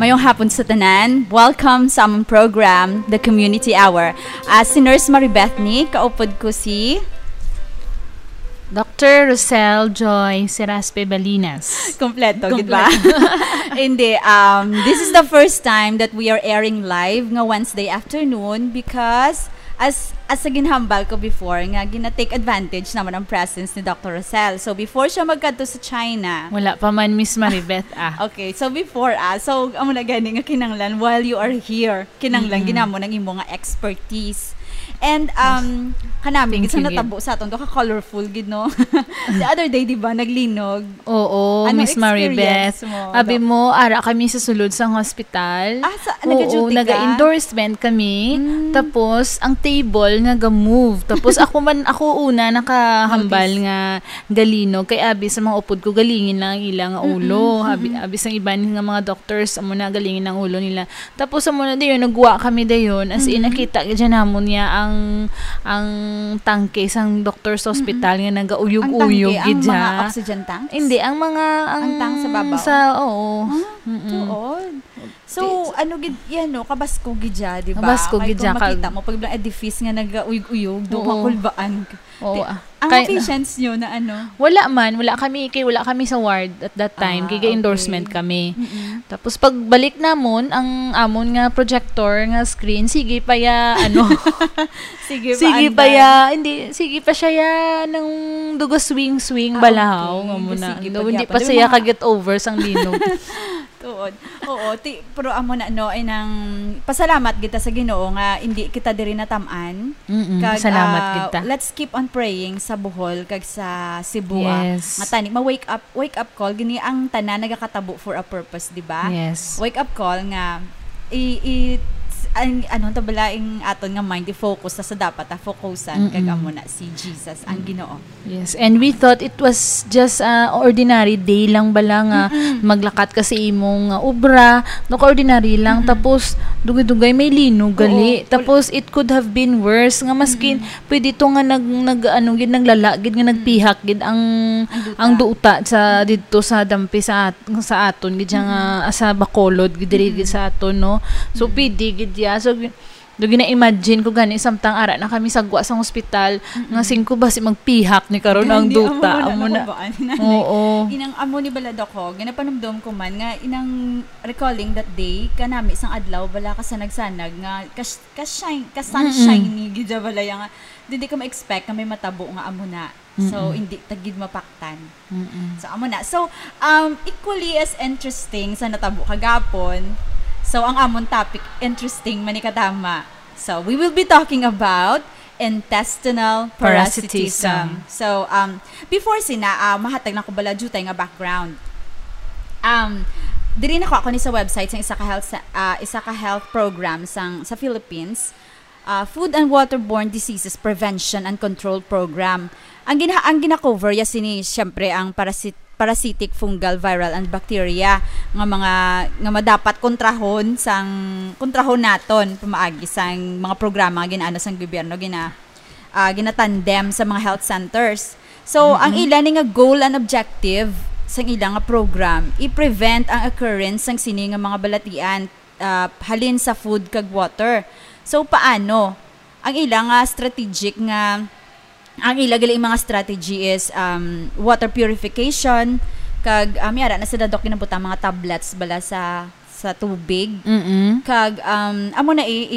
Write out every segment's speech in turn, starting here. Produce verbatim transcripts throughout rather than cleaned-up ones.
Mayong hapon sa tanan. Welcome sa among program, The Community Hour. Ah, si Nurse Marie Bethany, kaupod ko si Doctor Rosel Joy Seraspe Balinas. Kompleto, gid ba? Hindi, um, this is the first time that we are airing live nga Wednesday afternoon because as, as sa ginhambal ko before, nga gina-take advantage naman ang presence ni Doctor Rosel. So, before siya magkadto sa China, Wala pa man, Miss Maribeth, ah. Okay, so before, ah, so, amo na gani nga kinanglan, while you are here, kinanglan Mm-mm. ginamo ng imo nga expertise. And, um, kanami, Thank gid sa you, gid. natabo sa aton, do ka colorful, gid, no? The other day, di ba, naglinog? Oo, Ano Miss Maribeth. experience mo, Abi Doc? mo, ara kami sa sulod sang hospital. Ah, sa, Oo, nag-duty ka? naga-endorsement kami. Mm. Tapos, ang table nga ga-move. Tapos, ako man, ako una nakahambal Notice. nga galinog. Kay abi sa mga upod ko, galingin lang ang ila nga ulo. Mm-mm, Abi, mm-mm. abi sang iban nga mga doctors, amo na galingin ang ulo nila. Tapos, amo na dayon, nagwa kami dayon. As in, Mm-hmm. nakita gid siya namon niya ang, ang tangke sang doctor sa Mm-mm. ospital nga Ang nagauyog-uyog tangke, gid ang siya. mga oxygen tanks? Hindi, ang mga, ang Ang tank sa babaw? sa, oo. Ah, Mm-mm. tuod. So, Ti- ano gid, yan, no? Kabasko gid siya, di ba? Kabasko Kay gid kung siya, kag- makita mo, pag bilang edifice nga nagauyog-uyog, do Oo. makulbaan. Oo, Ti-, ah. ang Kay- patients nyo na ano? Wala man, wala kami, kay wala kami sa ward at that time, Ah, kay ga-endorsement okay. kami. Mm-mm. Tapos pagbalik namon, ang amon nga projector nga screen, sige pa ya, ano, Sige pa, sige pa andar. ya, hindi, sige pa siya ya, nang dugo swing-swing Ah, balahaw, okay. nga mo na. Sige pa Hindi gyapon. pa Di siya mga ka-get over sang linog. Tuod. Oo, ti-, pero amo na, no, ay nang pasalamat kita sa Ginoo nga hindi kita diri natam-an. Mm-mm, Kag, salamat ah, kita. let's keep on praying sa Bohol kag sa Cebu, ah. Yes. Nga tani, ma-wake up, wake up call, gini ang tanan nagakatabo for a purpose, di ba? Yes. Wake up call nga i, i, ang, ano ta bala, ang aton nga mind i-focus sa, sa dapat ta focusan, kag Mm-mm. amo na si Jesus, ang Mm. Ginoo. Yes, and we thought it was just a ordinary day lang bala nga Mm-mm. maglakat ka sa imong, uh, obra, no, ka ordinary lang, Mm-mm. tapos dugay-dugay may linog Oo, gali. ul- Tapos it could have been worse nga maskin Mm-mm. pwede to nga nag, nag, ano, gid, naglala gid nga Mm. nagpihak gid ang, Ang duta. ang duta sa didto sa dampi sa at-, sa aton gid siya nga Mm-mm. sa Bacolod gid diri gid Mm-mm. sa aton, no? So, Mm-mm. pwede gid ya. So, gi-, Do gina-imagine ko gani, samtang ara na kami sa gwa sang hospital, Mm-mm. nga singko ba si magpihak ni karon ang Gani, duta? amo na Amo na. nakabaan, inani. Oo. Inang amo ni bala, Doc, ho, ginapanumdom ko man nga inang recalling that day, kanami sang adlaw, bala ka sa nagsanag nga kas-, ka-shine, ka-sunshine Mm-mm. ni gid siya bala, ya nga, di, di ka ma-expect nga may matabo nga amo na. So, Mm-mm. hindi ta gid mapaktan. Mm-mm. So, amo na. So, um, equally as interesting sa natabo kagapon, so, ang amon topic, interesting man ni kadama. So, we will be talking about intestinal Parasitism. parasitism. So, um, before sina, ah, mahatag na ko bala jutay nga background. Um, diri na ko ako ni sa website sang isa ka health sa, ah, isa ka health program sang, sa Philippines. Ah, Food and Waterborne Diseases Prevention and Control Program. Ang gina-, ang gina-cover ya sini, siyempre, ang parasit-, parasitic, fungal, viral, and bacteria nga mga, nga madapat kontrahon sang, kontrahon naton pamaagi sang mga programa nga ginaano sang gobyerno, gina-, ah, ginatandem sa mga health centers. So, ang Mm-mm. ila ni nga goal and objective sang ila nga program, i-prevent ang occurrence sang sini nga mga balatian, ah, halin sa food kag water. So, paano? Ang ila nga strategic nga, ang ila gali mga strategy is, um, water purification, kag, ah, may ara na sila, Doc, ginabutang mga tablets bala sa, sa tubig. Mm-mm. Kag, um, amo na i-,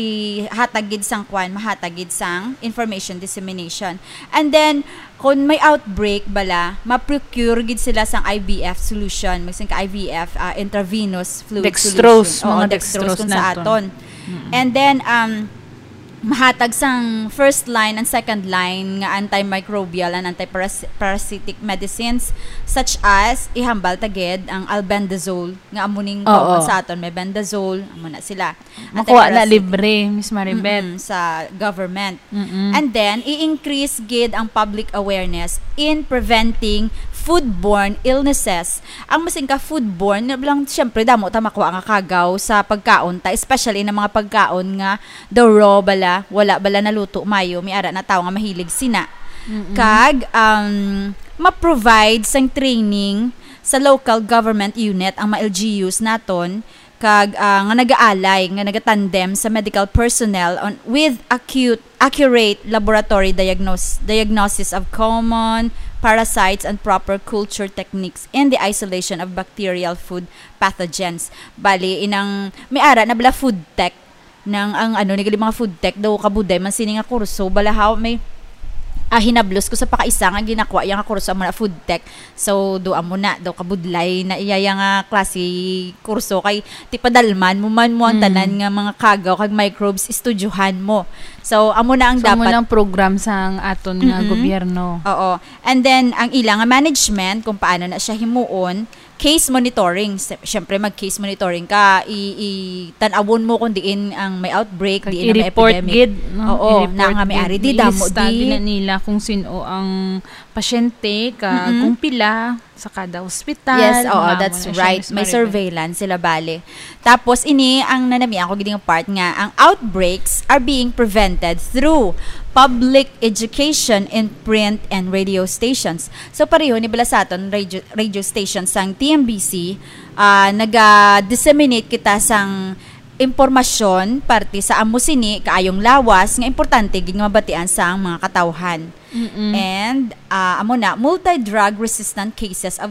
ihatag gid sang kwan, mahatag gid sang information dissemination. And then, kung may outbreak bala, ma-procure gid sila sang I V F solution, magsin ka I V F, ah, intravenous fluid Dextrose, solution. Oo, mga dextrose dextrose kung sa naton. aton. Mm-mm. And then, um, mahatag sang first line and second line nga antimicrobial and antiparas-, parasitic medicines, such as, ihambal ta gid ang albendazole, nga amo ning Oo. common sa aton, may bendazole, amo na sila. Makuha na Antiparasitic. libre, Miss Maribeth. Mm-mm, sa government. Mm-mm. And then, i-increase gid ang public awareness in preventing foodborne illnesses. Ang masing ka foodborne, na lang, siyempre, damo ta makuha nga kagaw sa pagkaon ta, especially na mga pagkaon nga the raw bala, wala bala naluto mayo, may ara na tao nga mahilig sina. Mm-mm. Kag, um, ma-provide sang training sa local government unit ang mga L G Us naton kag, ah, nga nagaalay, nga nagatandem sa medical personnel on, with acute, accurate laboratory diagnos-, diagnosis of common parasites and proper culture techniques in the isolation of bacterial food pathogens. Bali, inang may ara na bala food tech nang ang ano, ni gali mga food tech daw, kabudlay man sini nga kurso. Bala haw may, ah, hinablos ko sa pakaisa nga ginakuha iya nga kurso, amo na food tech. So, do amo na daw, kabudlay na iya, iya nga klase kurso kay ti padalman mo man mo ang Mm. tanan nga mga kagaw kag microbes, estudyohan mo. So, amo na ang So, amo dapat nang program sang aton nga Mm-mm. gobyerno. Oo. And then, ang ila nga management, kung paano na siya himuon, case monitoring. Si-, syempre, mag-case monitoring ka, i-, i-tan-awon mo kung diin ang may outbreak, Kag diin ang may i-report epidemic. gid, no? Oo, I-report na nga may gid. ari, di May damo, lista di. gid na nila kung sino ang pasyente, ka, Mm-mm. kung pila sa kada ospital, Yes, oo, mga that's amo na siya, right. Miss May Maribel. surveillance sila, bali. Tapos, ini ang nanamian ko gid nga part nga, ang outbreaks are being prevented through public education in print and radio stations. So, pareho ni bala sa aton radio, radio station sang T M B C, ah, naga-disseminate kita sang impormasyon parte sa amo sini kaayong lawas nga importante gid nga mabatian sang mga katawhan. Mm-mm. And, ah, amo na, multi-drug resistant cases of,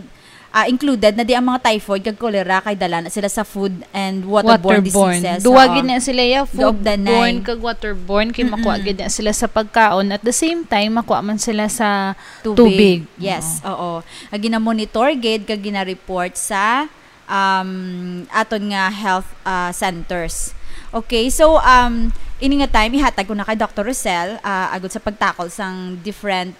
ah, included na di ang mga typhoid kag cholera kay dala na sila sa food and waterborne Waterborne. diseases. Duwa Oo. gid na sila, ya, Daog danay. foodborne kag waterborne, kay makuha Mm-mm. gid na sila sa pagkaon. At the same time, makuha man sila sa Tubig. tubig. Yes, Oo. oo. Nga gina-monitor gid kag gina-report sa, um, aton nga health, ah, centers. Okay, so, um, ini nga time, ihatag ko na kay Doctor Rosel, ah, agud sa pagtakol sang different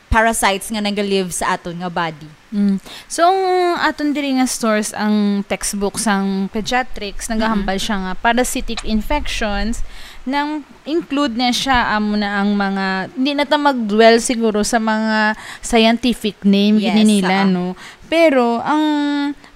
parasites nga naga-live sa aton nga body. Mm. So, ang aton diri nga source, ang textbook sang pediatrics, nagahambal Mm-hmm. siya nga parasitic infections, nang include na siya, amo na ang mga, hindi na ta mag-dwell siguro sa mga scientific name, gid Yes, nila, oo. no? Pero, ang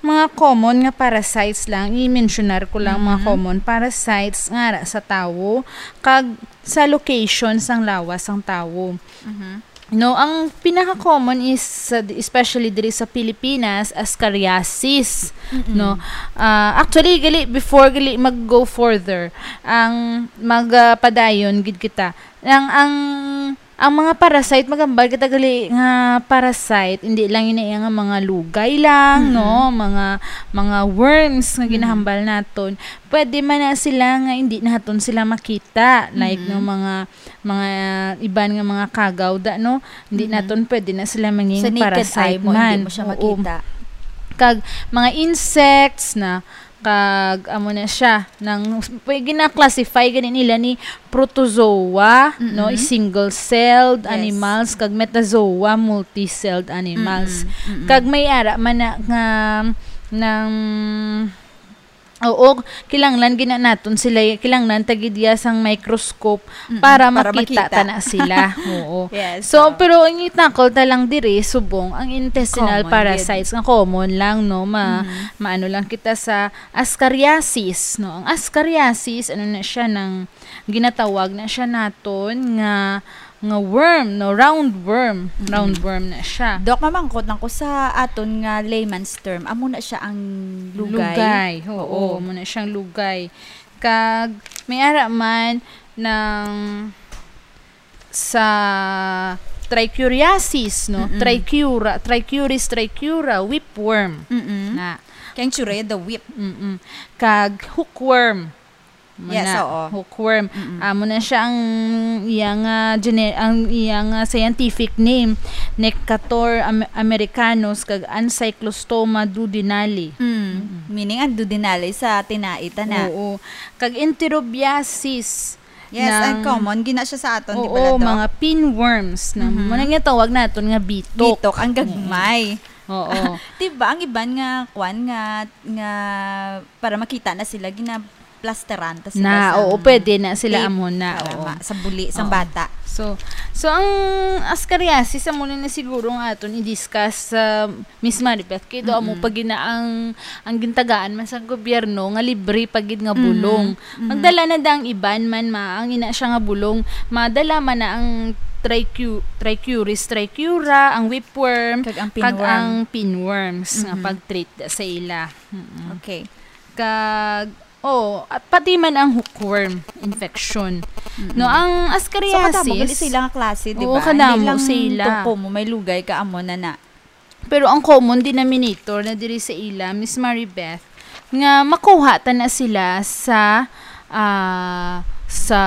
mga common nga parasites lang, i-mentionar ko lang, mga Mm-hmm. common parasites nga ara sa tawo, kag sa location sang lawas sang tawo. Mm-hmm. No, ang pinaka-common is, sa, especially diri sa Pilipinas, ascariasis, Mm-mm. no? Ah, actually, gali, before gali mag-go further, ang mag, ah, padayon gid kita. Ang, ang, ang mga parasite, magambal kita gali nga parasite, hindi lang ini nga mga lugay lang, Mm-mm. no? Mga, mga worms nga Mm-mm. ginahambal naton. Pwede man na sila nga hindi naton sila makita, like, Mm-mm. no, mga mga iban nga mga kagaw da, no? Hindi Mm-hmm. naton pwede na sila mangin Sa naked parasite eye mo, hindi man. mo siya Oo. makita. Kag mga insects na, kag amo na siya, nang, pwede na classify gani nila ni protozoa, Mm-hmm. no? Single-celled Yes. animals, kag metazoa, multi-celled animals. Mm-hmm. Mm-hmm. Kag may ara man na nga, nang Oo, kinahanglan gina naton sila, kinahanglan ta gid iya sang microscope Mm-mm, para para makita makita. ta na sila. Oo. Yes, So, oo. pero ang itakol ta lang diri, subong, ang intestinal Common gid. parasites nga common lang, no? Ma-, Mm-hmm. maano lang kita sa ascariasis, no? Ang ascariasis, ano na siya, nang ginatawag na siya naton nga nga worm, no? Round worm. Mm-mm. Round worm na siya. Doc, mamangkot lang ko sa aton nga layman's term. Amo na siya ang lugay? Lugay, oo. Oo. Amo na siyang lugay. Kag may ara man nang sa trichuriasis, no? Mm-mm. Trichura, trichuris trichura, whipworm. Mm-mm. Na. Kay ang tsura, the whip. Mm-mm. Kag hookworm. Mo Yes, na, oo. hookworm. Mm-mm. Amo na siya ang iya nga gene-, ang iya nga scientific name, Necator am-, americanus kag Ancyclostoma duodenale. Mm. Mm-mm. Meaning, ang duodenale sa tinai ta na. Oo. Kag enterobiasis Yes, ang ng common, gina siya sa aton, di ba, Oo, Doc? mga pinworms na, Mhm. mo na nga tawag naton nga bitok. Bitok, ang gagmay. Oo. Di ba, ang iban nga, kwan, nga, nga, para makita na sila, gina-plasteran ta sila Na, sa oo, pwede na sila tape amo na, para oo. ma-, sa buli, sa Oo. bata. So, so ang ascariasis, amo na na siguro nga aton i-discuss sa Miss Maribeth, kay do amo Mm-mm. pa gina ang, ang gintagaan man sa gobyerno nga libre pa gid nga Mhm. bulong. Mhm. Magdala na da ang iban man, ma, ang ina siya nga bulong. Madala man na ang trichu-, trichuris trichura, ang whipworm, Kag ang kag pinworm. ang pinworms nga Mhm. pag-treat da sa ila. Mm-mm. Okay. Kag, oh, at pati man ang hookworm infection. Mm-mm. No, ang So, kadamo ascariasis, gali sa ilang klase, di oo, ba? Kadamo Hindi lang sa ila. Tuko mo, may lugay ka amo na na. Pero ang common denominator na diri sa ila, Miss Maribeth, nga makuha ta na sila sa, ah, sa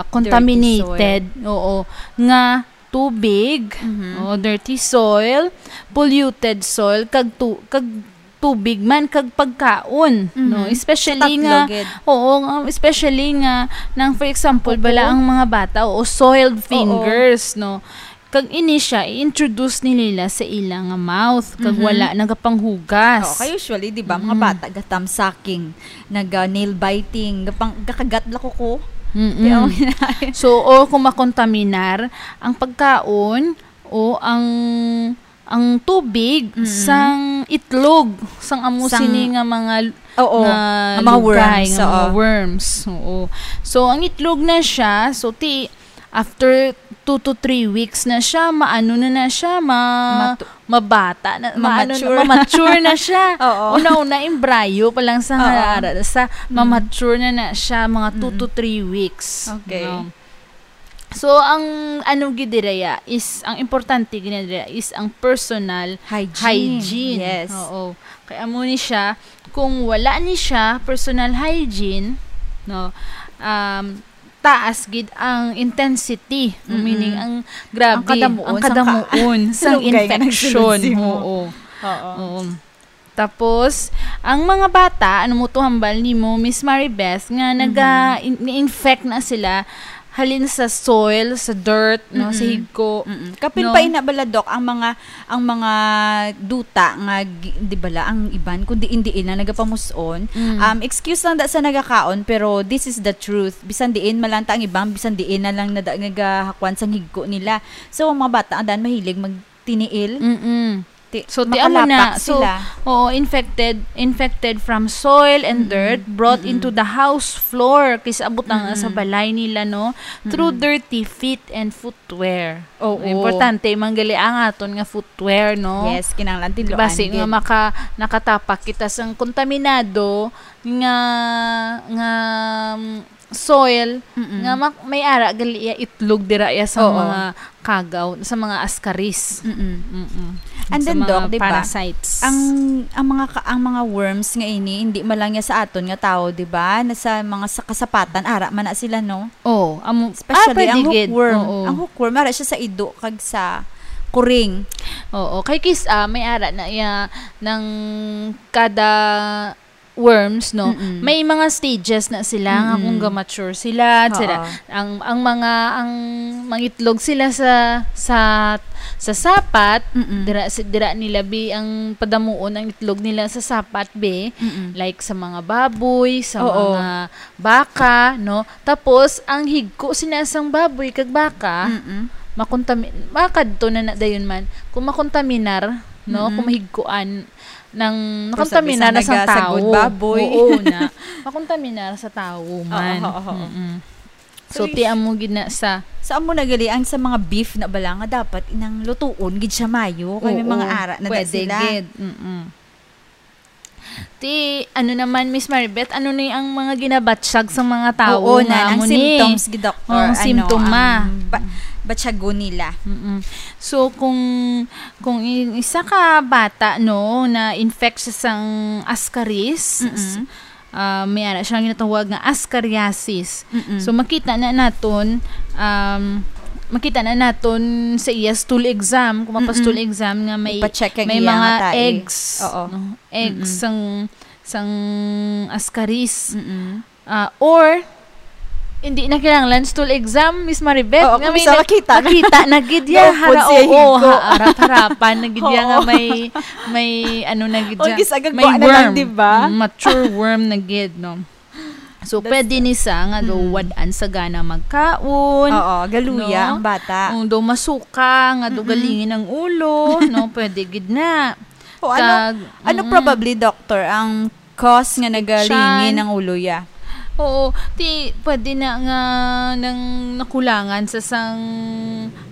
contaminated, Dirty soil. Oo, nga tubig, Mhm. o dirty soil, polluted soil, kag tu-, kag tubig man, kag pagkaon, Mhm. no? Especially Sa tatlo nga, gid. Oo, nga, especially nga, nang, for example, Kuko. bala ang mga bata, o soiled Oo. fingers, no? Kag ini siya, i-introduce nila sa ila nga mouth, kag Mhm. wala nagapanghugas. Oo, kay usually, di ba, mga Mm. bata, gatam sucking, naga nail biting, gapang-, gakagat la ko ko. Mm-mm. Di ako hinay. So, o kung makontaminar ang pagkaon o ang, ang tubig Mm-mm. sang itlog, sang amo Sang sini nga mga, Oo, nga nga mga lugay, worms, nga mga oo. worms. Oo. So, ang itlog na siya, so, ti-, after two to three weeks na siya, maano na na siya, ma-, Matu- mabata na, maano na, Mamature. mamature na siya. Oo. Una-una, embryo pa lang sa Oo. harara, sa Mm. mamature na na siya, mga two Mm. to three weeks. Okay. No? So, ang ano gid dira ya is, ang importante gid dira is ang personal Hygiene. hygiene. Yes. Oo. Kay amo ni siya, kung wala ni siya personal hygiene, no, um, taas gid ang intensity, Mm-mm. meaning ang grabe, Ang kadamuon ang sang ka-, kadamuon sang lugay nga infection. nagsulod mo. Oo. Oo. Oo. Tapos, ang mga bata, ano mo to hambal nimo, Miss Maribeth, nga naga-, Mhm. in-, ni-infect na sila halin sa soil, sa dirt, no, sa Mm-mm. higko, Mm-mm. Kapin no? pa ina bala, Doc, ang mga, ang mga duta nga gi-, di bala, ang iban, kung diin-diin na nagapamus-on. Mm. Um, excuse lang da sa nagakaon, pero this is the truth. Bisan diin malanta ang iban, bisan diin na lang nada-, nagahakwan sang higko nila. So, ang mga bata, ang daan mahilig magtiniil. Mm-mm. Ti-, So, ti amo na. makalapak So, sila. oo, infected, infected from soil and Mm-mm. dirt brought Mm-mm. into the house floor, kay sa abot na nga sa Mm-mm. balay nila, no? Through Mm-mm. dirty feet and footwear. Oo. Importante man gali ang aton nga footwear, no? Yes, kinahanglan Di ba, tinluan si nga gid. maka-, nakatapak kita sang kontaminado nga, nga, mm, soil, Mm-mm. nga mak-, may ara gali iya itlog dira iya sa Oo. mga kagaw, sa mga ascaris. Mm-mm. Mm-mm. And Sa then, mga Doc, di ba, parasites. ang, ang mga ka-, ang mga worms nga ini, hindi man lang niya sa aton nga tao, di ba? Na sa mga sa kasapatan, ara man na sila, no? Oh, amo, Especially ah, pwede ang gid. hookworm. Oo. Ang hookworm, ara siya sa ido kag sa kuring. Oo, kay kis-, ah, may ara na iya nang kada worms, no? Mm-mm. May mga stages na sila nga Mm-mm. kung ga-mature sila, Oo. sila, ang, ang mga, ang mangitlog sila sa, sa, sa sapat, Mm-mm. dira, si-, dira nila bi ang padamuon ang itlog nila sa sapat, bi. Mm-mm. Like sa mga baboy, sa Oo. mga baka, no? Tapos, ang higko sina sang baboy kag baka, Mm-mm. makontami-, makadto na na dayon man. Kung makontaminar, no? Mm-mm. Kung mahigkuan, nang Pero nakontaminar sabi sa na sang nagasagod tawo. baboy. Oo na. Makontaminar sa tawo Oo, man. oo, oo. Mm-mm. So, So, ti amo gid na sa So, amo na gali ang sa mga beef na bala nga dapat inang lutuon gid siya mayo, kay may Oo, mga ara na da pwede sila. gid. Mm-mm. Ti, ano naman, Miss Maribeth, ano ni ang mga ginabatyag sa mga tawo Oo, nga na, ang amo ni? symptoms, gi-, Doctor, Oh, ang ano, simptoma. ang ba-, batyagon nila. Mm-mm. So, kung, kung i-, isa ka bata, no, na infect siya sang ascaris, Mm-mm. s-, ah, may ara siya ginatawag nga ascariasis. Mm-mm. So, makita na naton, um, makita na naton sa iya stool exam, kung mapa-stool Mm-mm. exam nga may, Ipa-check ang may iya mga nga tae. eggs, Oo. no? Eggs Mm-mm. sang, sang ascaris. Mm-mm. Ah, or, hindi na kinahanglan stool exam, Miss Maribeth, Oo, nga kung may bisa nag-, makita na. makita na gid ya, Naupod hara, siya oo, higko. ha-, harap-harapan na gid ya nga Oo. may, may, ano na gid O, ya, gis-, may agagwa na lang, worm. di ba? Mm, mature worm na gid, no? So, That's pwede ni sa nga daw Mm. wad-an sa gana magkaon, Oo, galuya no? ang bata. Kung daw masuka, nga daw Mm-mm. galingin ang ulo, no? Pwede gid na. O, ano, Kag, ano mm-mm. probably, Doctor, ang cause nga nagalingin Tiyan. ang ulo ya? Oo, ti pwede na nga nang nakulangan sa sang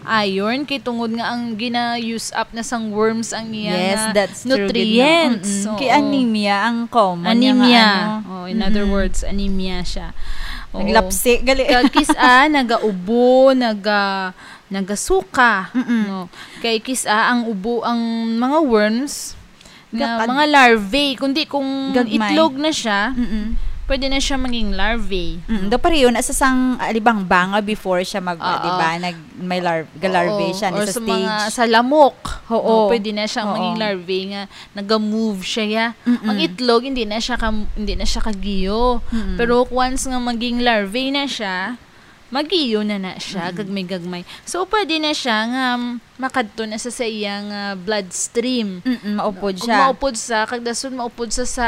iron kay tungod nga ang gina-use up na sang worms ang iya Yes, nga that's true, gid, no? nutrients. Mm-mm. Kay Oo. anemia ang common niya nga Anemia. ano. Oh, in other Mm-mm. words, anemia siya. Oo. Naglapsi, gali. Kag kis-a, nagaubo, naga-, nagasuka, Mm-mm. no? Kay kis-a ang ubo, ang mga worms, nga Gakad- mga larvae, kundi kung Gagmay. itlog na siya, Mm-mm. pwede na siya maging larvae. Mm, do pareho na sa sang alibangbanga before siya mag, Oo. di ba? Nag, may lar-, ga-larvae Oo. siya ni Or sa sa mga stage. sa lamok. Oo. No, pwede na siyang Oo. maging larvae nga naga-move siya, ya. Mm-mm. Ang itlog, hindi na siya ka-, hindi na siya kagiyo. Mm-mm. Pero once nga maging larvae na siya, magiyo na na siya, Mm-mm. gagmay-gagmay. So, pwede na siya nga, um, makadto na sa, sa iyang, ah, bloodstream. Mm-mm, maupod Kung siya. maupod sa, kag dason maupod sa, sa,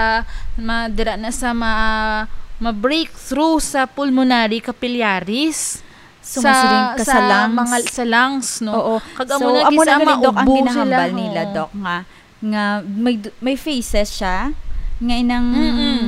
ma-, dira na sa ma-, ma-breakthrough sa pulmonary capillaries. So, sa, masiling ka sa sa lungs. mga, sa lungs, no? Oo. Kag amo So, na amo gisa na gali, Doc, ang maubo ginahambal sila, nila, oo. Doc, nga, nga may du-, may phases siya, nga inang Mm-mm.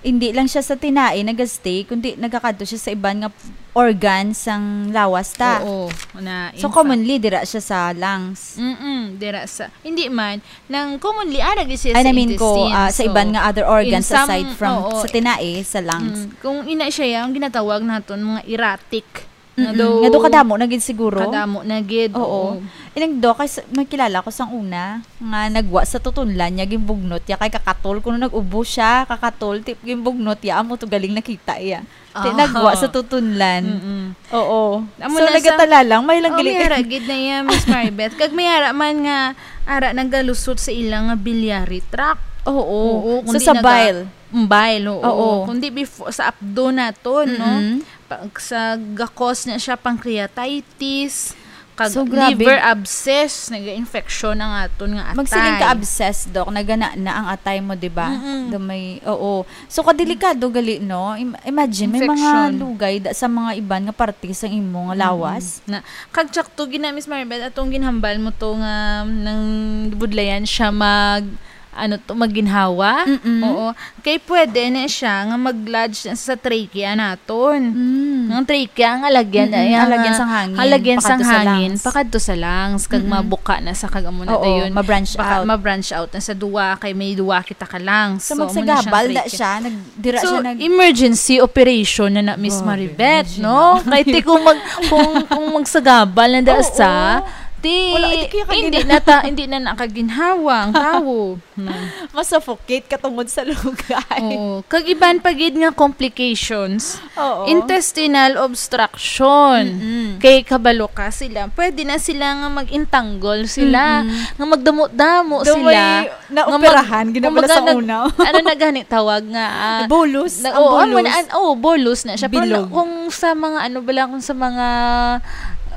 hindi lang siya sa tinai nagastay, kundi nagakadto siya sa iban nga organ sang lawas ta. Oo, na, So, in fact. commonly, dira siya sa lungs. Mm-mm, dira sa, hindi man, nang commonly, ara gid siya I sa mean ko, intestines, ah, sa iban oo. nga other organs In some, aside from oo. sa tinai, sa lungs. Mm, kung ina siya, ang ginatawag naton mga erratic. Nga Mm-mm. do Nga do kadamo na gid siguro. kadamo na gid, Oo. oo. Ilang do, kay sa, may kilala ko sang una, nga nagwa sa tutunlan niya, gimbugnot ya, kay kakatol, kuno nag-ubo siya, kakatol, ti-, gimbugnot ya, amo to galing nakita iya. Ti-, Ah. nagwa sa tutunlan. Mm-mm. Oo. Amo So, na sa nagatala lang, may lang Oh, gali. may ara gid na iya, Miss Maribeth. Kag may ara man nga, ara nagalusot sa ilang nga biliary tract. Oo. Oo, So, kundi sa naga-, bile. Mm, bile, oo. Oo. Kundi before, sa apdo naton, no? Mm-mm. Pa-, sa gakos na siya, pancreatitis, kag So, grabe. liver abscess, naga-infection ang aton nga atay. Magsiling ka abscess, Doc, nagana na ang atay mo, di ba? Mm-mm. Gamay, oo. So, kadelikado gali, no? Im-, imagine, may mga Infection. lugay da-, sa mga iban nga parte sang imo nga Mm-mm. lawas. Na, kag tsakto gina, Miss Maribeth, atong ginhambal mo to nga nang budlayan siya mag, ano to, maginhawa. Mm-mm. Oo. Kay pwede na siya nga mag-lodge na sa trachea naton. Mm. Ang trachea, ang alagyan na Mm-mm. iya Alagyan nga, sang hangin, alagyan sang pakadto sa hangin, lungs. pakadto sa lungs, kag Mm-mm. mabuka na sa kag amo na Oo, dayon. ma-branch Baka out. ma-branch out na sa duwa, kay may duwa kita ka lungs. So, So, amo na siyang magsagabal na trachea. siya, nag-, dira So, siya nag- emergency operation na na, Miss Grabe, Maribeth, imagine no? na. Kay ti kung mag-, kung, kung magsagabal na da Oo. sa, ti, Wala, ito kaya hindi kagina- na ta-, hindi na nakaginhawa ang tawo. Hmm. Masuffocate ka tungod sa lugay. Oo. Kag iban pa gid nga complications, Oo. intestinal obstruction. Mm-mm. Kay kabalo ka sila, pwede na sila nga mag-entangle sila, Mm-mm. nga magdamo-damo Daw sila, may naoperahan, nga mag-, gina-, kumbaga, sa nag-, una. ano na gani tawag nga, ah, Bolus. na-, Ang oo, amo bolus. na, an-, oo, bolus na siya. Pero Bilog. na-, kung sa mga, ano bala, kung sa mga,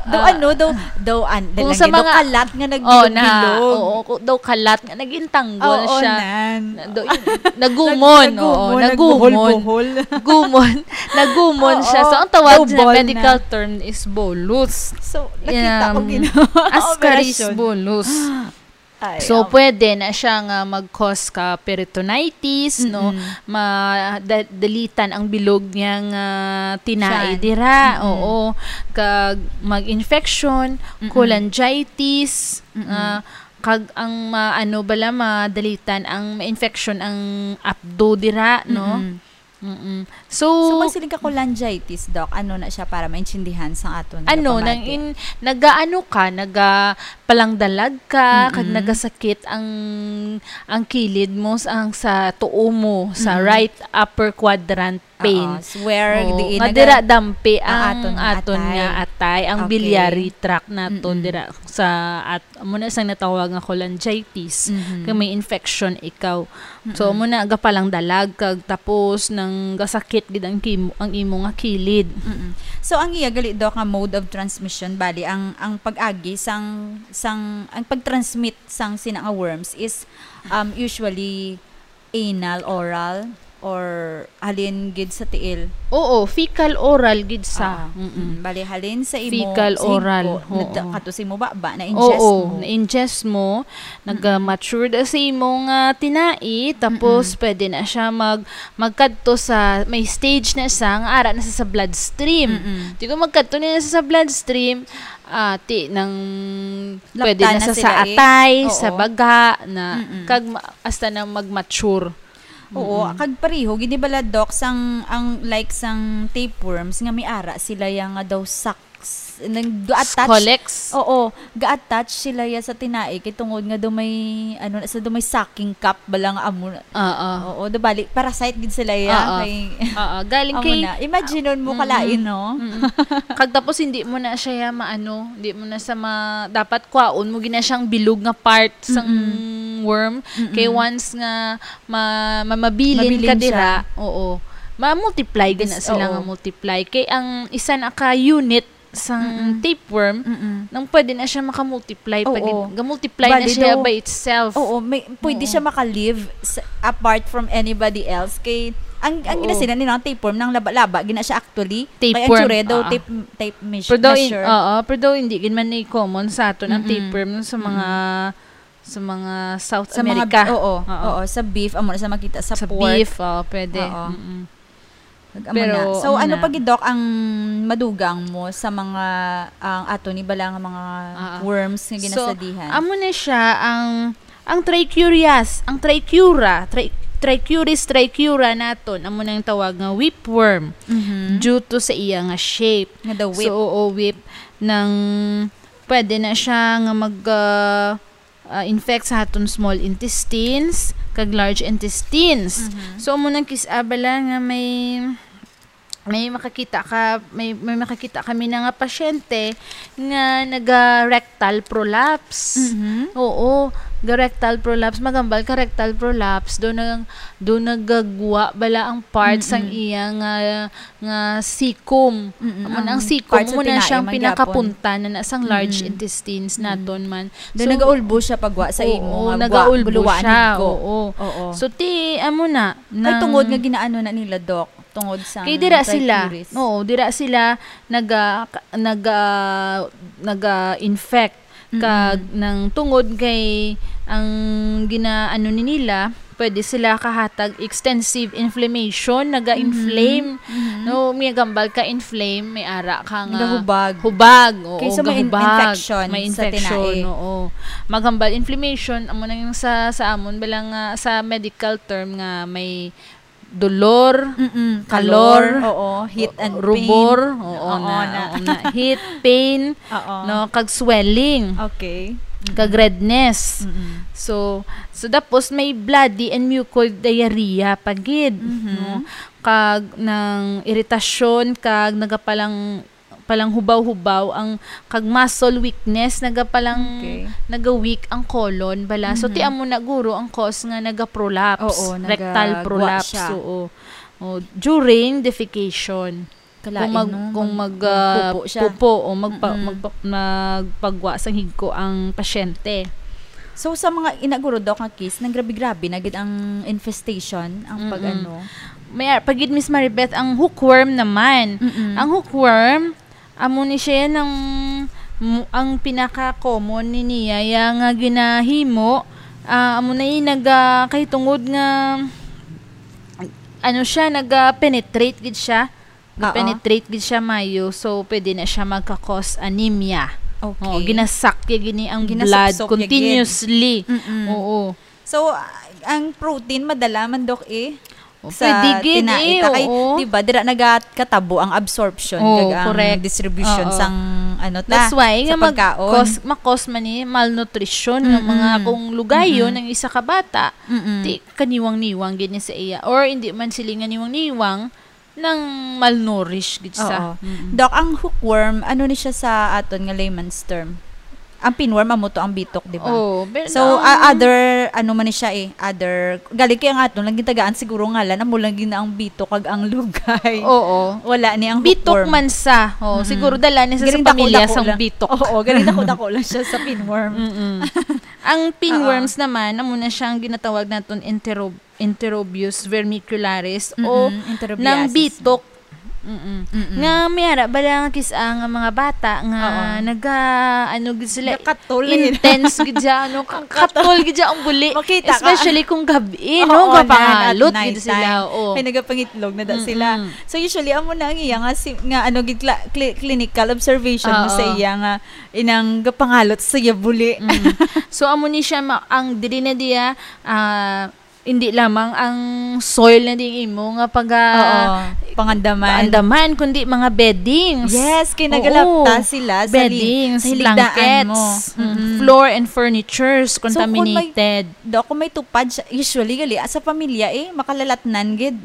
Daw ah, ano, daw, daw, an-, kung daw sa lang, daw mga, kalat nga oh, na, nagbilog-bilog. oo, ku-, daw kalat nga nag-entangle Oo, siya. nan. Na, daw, nagumon, Nag-, oo, nagumon, nagumon. nagbuhol-buhol. Gumon, nagumon siya. Oo, So, ang tawag daw sa ball medical na. term is bolus. So, nakita ko Yeah, ginawa ang ascaris operasyon. bolus. Ay, So, ang pwede na siya nga mag-cause ka peritonitis, no? Mm-mm. Ma-, da-, dalitan ang bilog niya nga tinai Siya. dira, Mm-mm. oo. Kag mag-infection, Mm-mm. cholangitis, Mm-mm. ah, kag ang ma-, ano bala, madalitan ang ma-infection ang apdo dira, no? Mm-mm. Mm-mm. So, So, magsiling ka cholangitis, Doc, ano na siya para maintindihan sa aton nga Ano, nang pamati? in-, nagaano ka, nagapalangdalag ka, kag Mm-mm. nagasakit ang, ang kilid mo, sa, ang sa tuo mo, sa Mm-mm. right upper quadrant pain. Oo, so where Oo, diin nga naga-, dira dampi ang ang aton nga aton atay. nga atay, ang Okay. biliary tract naton Mm-mm. dira sa at-, amo na sang natawag nga cholangitis, Mhm. kay may infection ikaw. So, Mm-mm. amo na, gapalangdalag kag tapos nang gasakit gid ang kimo, ang imo nga kilid. Mm-mm. So, ang iya gali, Doc, nga mode of transmission, bali, ang, ang pag-agi sang, sang, ang pag-transmit sang sina nga worms is, um, usually anal, oral. or halin gid sa tiil? Oo, fecal oral gid sa. Ah, Mm-mm. mm, bali, halin sa imo, Fecal sa higko, oral, nagda-, oo. kato sa imo baba, na-ingest Oo, mo. na-ingest mo, Mm-mm. nag-mature da sa imo nga tinai, tapos Mm-mm. pwede na siya mag-, magkadto sa, may stage na siya nga ara na sa, sa bloodstream. Mm-mm. Di ko magkadto na sa, sa bloodstream, ah, ti nang pwede Lapta na na sa, sila sa eh. atay, sa Oo. baga, na Mm-mm. kag ma-, hasta na mag-mature. Oo, Mm-mm. kag pareho gid ni bala, Doc, sang, ang, like, sang tapeworms nga may ara sila ya nga daw sacs, nag-, do-, attach. Scolex. Oo, ga-attach sila ya sa tinai kay tungod nga daw may, ano na, sa daw may sucking cup bala nga amo na. Oo. Oo, do bali, parasite gid sila ya Oo. kay Oo, galing amo kay na. Imagine mo Mm-mm. kalain, no? Mm-mm. Kag tapos hindi mo na siya ya maano, hindi mo na sa ma-, dapat kwaon mo gina siyang bilog nga part sang Mm-mm. worm. Mm-mm. Kay once nga ma-, ma-, mabilin Mabilin ka dira, siya. oo. Ma-multiply din This, na sila nga oo. multiply. Kay ang isa na ka unit sang Mm-mm. tapeworm, Mm-mm. nang pwede na siya makamultiply pa Oo. gid. Ga-multiply na Bali siya daw, by itself. oo, may, pwede Oo. siya maka-live sa, apart from anybody else. Kay, ang, ang Oo. ginasinan nila, ang tapeworm, nang laba-laba, gina siya actually. Kay ang Tapeworm, tsure daw, ah. tape, tape meas-, Pero daw in-, measure. oo, pero daw hindi gid man ni common sa aton ang Mm-mm. tapeworm sa mga Mm-mm. sa mga South Sa mga, America. oo, Oo. oo, sa beef, amo na sa makita, sa Sa pork. beef, oo, pwede. Oo. Mm-mm. Nag-, amo Pero, na. So, amo ano na. pa gid, Doc, ang madugang mo sa mga, ang ato ni bala nga mga Ah, ah. worms nga So, ginasadihan? amo na siya ang, ang trichurias, ang trichura, tri-, trichuris trichura naton, amo nang tawag nga whipworm, Mhm. due to sa iya nga shape. Nga the whip. So, oo, whip nang pwede na siya nga mag, ah, ah, infect sa aton small intestines kag large intestines. Mhm. So, amo nang kis-, ah, bala nga may, may makakita ka, may, may makakita kami na nga pasyente nga naga-rectal prolapse. Mhm. Oo, ga-rectal prolapse, magambal ka rectal prolapse, do nag-, do nagagwa bala ang part sang Mm-mm. iya nga nga cecum. Mm-mm, Amo na ang ang cecum part sa mo na tinai siyang man gyapon. pinakapunta na, na sang large Mm-mm. intestines Mm-mm. naton man. Doon So, nagaulbo siya pagwa sa imo oo, nga gwa-, nagaulbo buluwaan siya, higko. oo. Oo. So, ti, amo na, Kay nang tungod nga ginaano na nila, Doc, tungod sa Kay dira sila, trichuris. oo, dira sila naga-, ka-, naga-, naga-infect. Kag Mm-mm. nang tungod kay ang ginaano ni nila, pwede sila kahatag extensive inflammation, naga-inflame. Mhm. Mhm. No, may gambal ka inflame, may ara ka nga Nagahubag. hubag, oo, Kaysa may in-, gahubag. infection May sa infection, tinai. oo. Magambal inflammation, amo na yung sa, sa amon, bala nga sa medical term nga may dolor, Mm-mm. kalor, Kalor, oo. Heat and rubor, pain. oo Oo, na, na. oo na. Heat, pain, Oo. no, kag swelling, Okay. kag Mm-mm. redness. Mm-mm. So, so tapos may bloody and mucoid diarrhea pa gid, Mhm. no? Kag nang iritasyon, kag nagapalang palanghubaw-hubaw ang, kag muscle weakness, nagapalang, Okay. naga-weak ang colon bala. So, ti Mhm. amo na guro ang cause nga naga-prolapse, Oo, rectal nagagwa prolapse, siya. oo. O, during defecation. Kalain, Kung mag-, no? kung Mag-, mag, ah, magpupo siya. pupo o magpa-, Mm-mm. magpa-, magpagwa sang higko ang pasyente. So, sa mga inaguro, Doc, nga case, nang grabe-grabe na gid ang infestation, ang Mm-mm. pag-ano? May ar-, pag gid, Miss Maribeth, ang hookworm naman. Mm-mm. Ang hookworm, amo ni siya nang mu-, ang pinaka-common ni niya, ya nga ginahimo, ah, amo na yung nag, ah, kahitungod nga, ano siya, nag, ah, penetrate gid siya. Oo. Ga-penetrate gid siya, Mayo. So, pwede na siya magka-cause anemia. Okay. Oo, ginasakya gini ang blood Ginasupsop ya gid. continuously. Mm-mm. Oo. So, ah, ang protein madala man, Doc, eh, O, sa pwede gid, tinai eh, ta. Kay, oo. di ba, dira nagakatabo ang absorption Oo, kag ang correct. distribution Oo. sang, ano ta, That's why sa nga mag-, pagkaon. cause, ma-cause man ni malnutrition ng Mm-mm. mga kung lugayon Mm-mm. ang isa ka bata, Mm-mm. di kaniwang-niwang gid ni sa iya. Or hindi man sila nga niwang-niwang, nang malnourished gid sa. Oo. Mm-mm. Doc, ang hookworm, ano ni siya sa aton nga layman's term? Ang pinworm, amo to ang bitok, di ba? Oo, pero So, ang a-, other, ano man ni siya eh, other, galing kay ang aton lang gitagaan siguro ngalan, amo lang gid na ang bitok kag ang lugay. Oo. Wala ni ang Bitok hookworm. man sa. Oh, Mm-mm. siguro dala ni sa, Galing sa pamilya dako-dako sang lang. bitok. Oo, galing dako-dako lang siya sa pinworm. Mm-mm. Ang pinworms Oo. naman, amo na siyang ginatawag naton enterob-, Enterobius vermicularis o Mm-mm, enterobiasis. Ng bitok. Mm-mm. Mm-mm. Nga may ara bala nga kis-a nga mga bata nga Oo. naga, ano gid sila, Nakatol gid. Intense gid siya, ano, ka-, Nakatol. Katol gid siya ang buli. Makita ka. Especially kung gabi, Oo, no? Gapangalot na, at gid sila, night time. Oo. May nagapangitlog na da sila. Mm-mm. So, usually, amo na ang iya nga si-, nga, ano, gid cla-, cli-, clinical observation mo sa Oo. iya nga inang gapangalot sa iya buli. Mm. So, amo ni siya ma-, ang diri na diya, ah, hindi lamang ang soil na ding imo nga paga-, Oo, pangandaman. Pangandaman, kundi mga beddings. Yes, kay Oo. nagalapta sila sa li-, Beddings, sa hiligdaan blankets, mo. Mm, mm. Floor and furnitures So, kung may, contaminated. Daw, kung may tupad siya, usually, gali, ah, sa pamilya, eh, makalalatnan gid.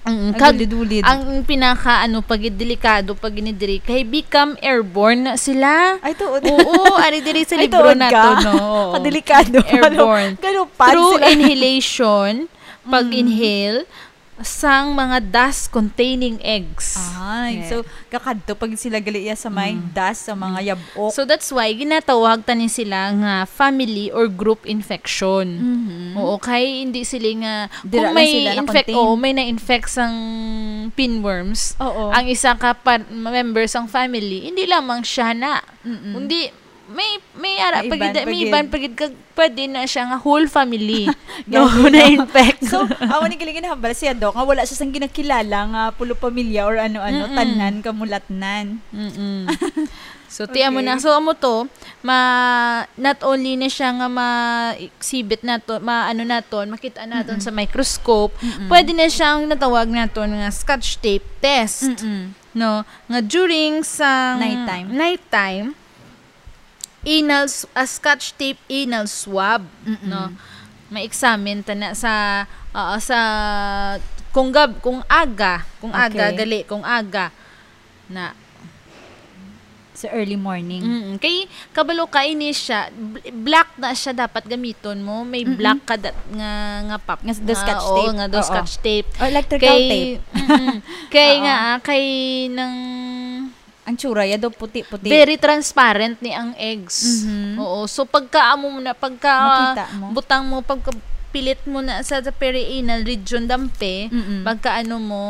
Mm, Ang kag-, gulid-gulid. Ang pinaka, ano, pag delikado, pag ini diri, kay become airborne na sila. Ay, tuod. Oo, ari diri sa Ay, libro tuod na ka. To, no? Oo. Kadelikado. Airborne. Galo-, galopan Through sila. Inhalation, Mm. pag-inhale, sang mga dust-containing eggs. Ay, Yeah. so, kakadto pag sila gali iya sa may Mm. dust, sa mga Mm. yab-ok. So, that's why ginatawag tani sila nga family or group infection. Mhm. Oo, kay hindi sila nga, Dira kung lang may sila infect-, nakontain. Oo, may na-infect sang pinworms, Oo. ang isa ka pa-, member sang family, hindi lamang siya na. Mm-mm. Kundi, may, may ara May pa gid, iban pa may gid. iban pa gid kag pwede na siya nga whole family. No, Gani, no? Na-infect. So, amo ni galing ginahambal siya, Doc, nga wala siya sang ginakilala nga pulo pamilya or ano-ano, Mm-mm. tanan kamulatnan. Mm-mm. So, ti amo Okay. na. So, amo to, ma-, not only na siya nga ma-exhibit nato, ma-, ano naton, makita naton Mm-mm. sa microscope, Mm-mm. pwede na siyang natawag naton nga Scotch tape test. Mm-mm. No? Nga during sa Nighttime. nighttime, anal s-, a Scotch tape anal swab, Mm-mm. no? Ma-examine ta na sa, oo, sa, kung gab-, kung aga, kung aga, Okay. gali, kung aga, na. Sa early morning. Mm-mm. Kay, kabalo ka ini siya, bl-, black na siya dapat gamiton mo. May Mm-mm. black ka dat-, nga, nga pap-, Nga s-, the nga, scotch oo, tape. nga do Oo. scotch tape. Or electrical Kay, tape. mm-mm. Kay Oo. nga, ah, kay nang Ang tsura, ya do puti-puti. Very transparent ni ang eggs. Mhm. Oo. So, pagka amo mo na, pagka Makita mo. butang mo, pagka pilit mo na sa, sa perianal region, dampe, Mm-mm. pagka ano mo,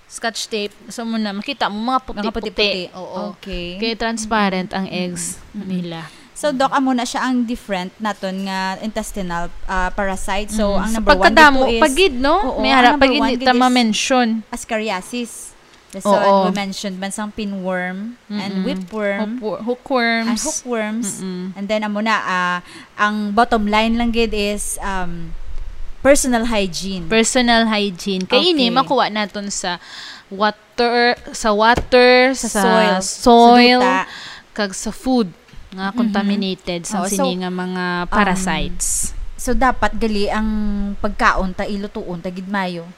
scotch tape, so mo na, makita mo, mga Mga puti-puti. puti-puti. Oo. Okay. Kaya transparent ang Mm-mm. eggs Mm-mm. nila. So, Doc, amo na siya ang different naton nga intestinal, ah, parasite. So, Mm. ang So, number one pagkadamo dito is, pa gid, no? oo, May ang harap number pa gid one di gid ta is ma-mention. ascariasis. That's Oo. why we mentioned man sang pinworm and Mm-mm. whipworm. Hookwo-, hookworms. And hookworms. Mm-mm. And then, amo na, ah, ang bottom line lang gid is, um, personal hygiene. Personal hygiene. Kay ini, Okay. makuha naton sa water, sa water, Sa sa soil, sa soil, duta. kag sa food nga Mhm. contaminated sa Oo, so, sini nga mga um, parasites. So, dapat gali ang pagkaon ta, ilutuon ta gid mayo.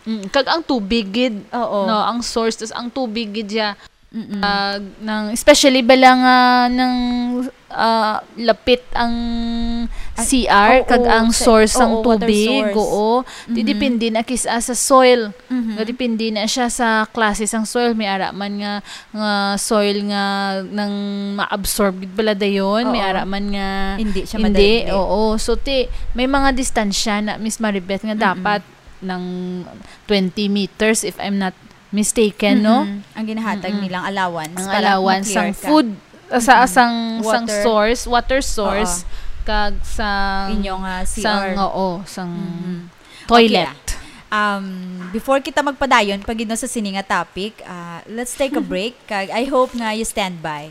Mm, kag ang tubig gid, Oo. no, ang source, tas ang tubig gid siya, Mm-mm. ah, nang, especially bala nga nang, ah, lapit ang Ang, C R, oo, kag ang sa, source sang oo, water tubig, source. oo. Di Mhm. depende na kis-a sa soil. Mhm. Nga depende na siya sa klase sang soil. May ara man nga, nga soil nga nang ma-absorb gid bala dayon. May Oo. ara man nga Hindi siya hindi. madali. Oo. So, ti, may mga distansya na, Miss Maribeth, nga Mm-mm. dapat ng twenty meters, if I'm not mistaken, no? Mm-mm. Ang ginahatag Mm-mm. nilang allowance Ang para allowance ma-clear sang ka. food, sa, Mm-mm. sang, sang Water. source, water source, Oo. kag sang, Inyo nga C R. sang, oo, sang Mm-hmm. toilet. Okay, ah. Um, before kita magpadayon, pag, no, sa sini nga topic, ah, let's take a break. Kag I hope nga you stand by.